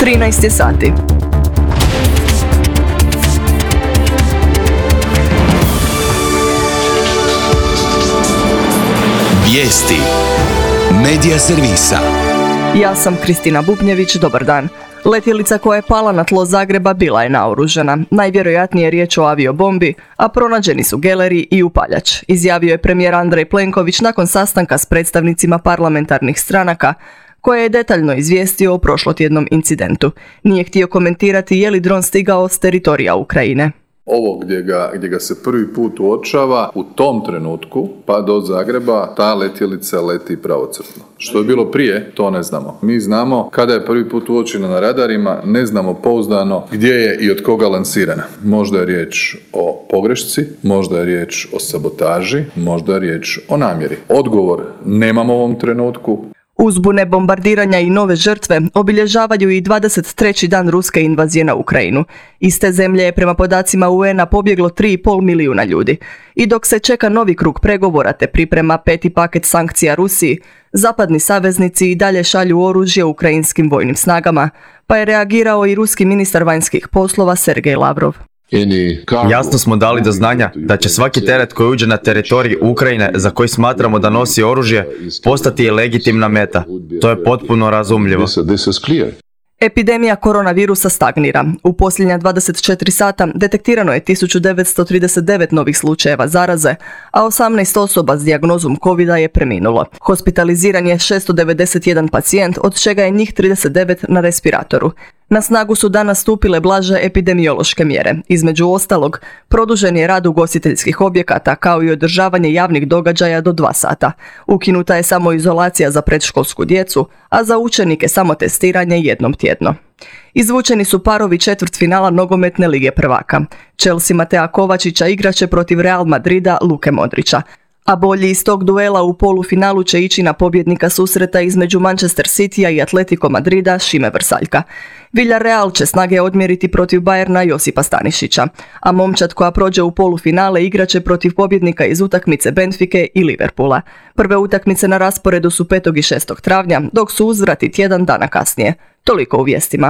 13 je sati. Vijesti Medija servisa. Ja sam Kristina Bubnjević, dobar dan. Letjelica koja je pala na tlo Zagreba bila je naoružana. Najvjerojatnije je riječ o aviobombi, a pronađeni su geleri i upaljač, izjavio je premijer Andrej Plenković nakon sastanka s predstavnicima parlamentarnih stranaka, koje je detaljno izvijestio o prošlotjednom incidentu. Nije htio komentirati je li dron stigao s teritorija Ukrajine. Ovo gdje ga se prvi put uočava, u tom trenutku pa do Zagreba ta letjelica leti pravocrtno. Što je bilo prije, to ne znamo. Mi znamo kada je prvi put uočena na radarima, ne znamo pouzdano gdje je i od koga lansirana. Možda je riječ o pogrešci, možda je riječ o sabotaži, možda je riječ o namjeri. Odgovor nemamo u ovom trenutku. Uzbune bombardiranja i nove žrtve obilježavaju i 23. dan ruske invazije na Ukrajinu. Iz te zemlje je prema podacima UN-a pobjeglo 3,5 milijuna ljudi. I dok se čeka novi krug pregovora te priprema 5. paket sankcija Rusiji, zapadni saveznici i dalje šalju oružje ukrajinskim vojnim snagama, pa je reagirao i ruski ministar vanjskih poslova Sergej Lavrov. Jasno smo dali do znanja da će svaki teret koji uđe na teritorij Ukrajine za koji smatramo da nosi oružje postati legitimna meta. To je potpuno razumljivo. Epidemija koronavirusa stagnira. U posljednja 24 sata detektirano je 1939 novih slučajeva zaraze, a 18 osoba s dijagnozom covida je preminulo. Hospitaliziran je 691 pacijent, od čega je njih 39 na respiratoru. Na snagu su danas stupile blaže epidemiološke mjere. Između ostalog, produžen je rad ugostiteljskih objekata kao i održavanje javnih događaja do 2 sata. Ukinuta je samoizolacija za predškolsku djecu, a za učenike samo testiranje jednom tjedno. Izvučeni su parovi četvrtfinala nogometne lige prvaka. Chelsea Matea Kovačića igraće protiv Real Madrida Luke Modrića. A bolji iz tog duela u polufinalu će ići na pobjednika susreta između Manchester Citya i Atletico Madrida Šime Vrsaljka. Villarreal će snage odmjeriti protiv Bayerna Josipa Stanišića, a momčad koja prođe u polufinale igraće protiv pobjednika iz utakmice Benfike i Liverpoola. Prve utakmice na rasporedu su 5. i 6. travnja, dok su uzvrati tjedan dana kasnije. Toliko u vijestima.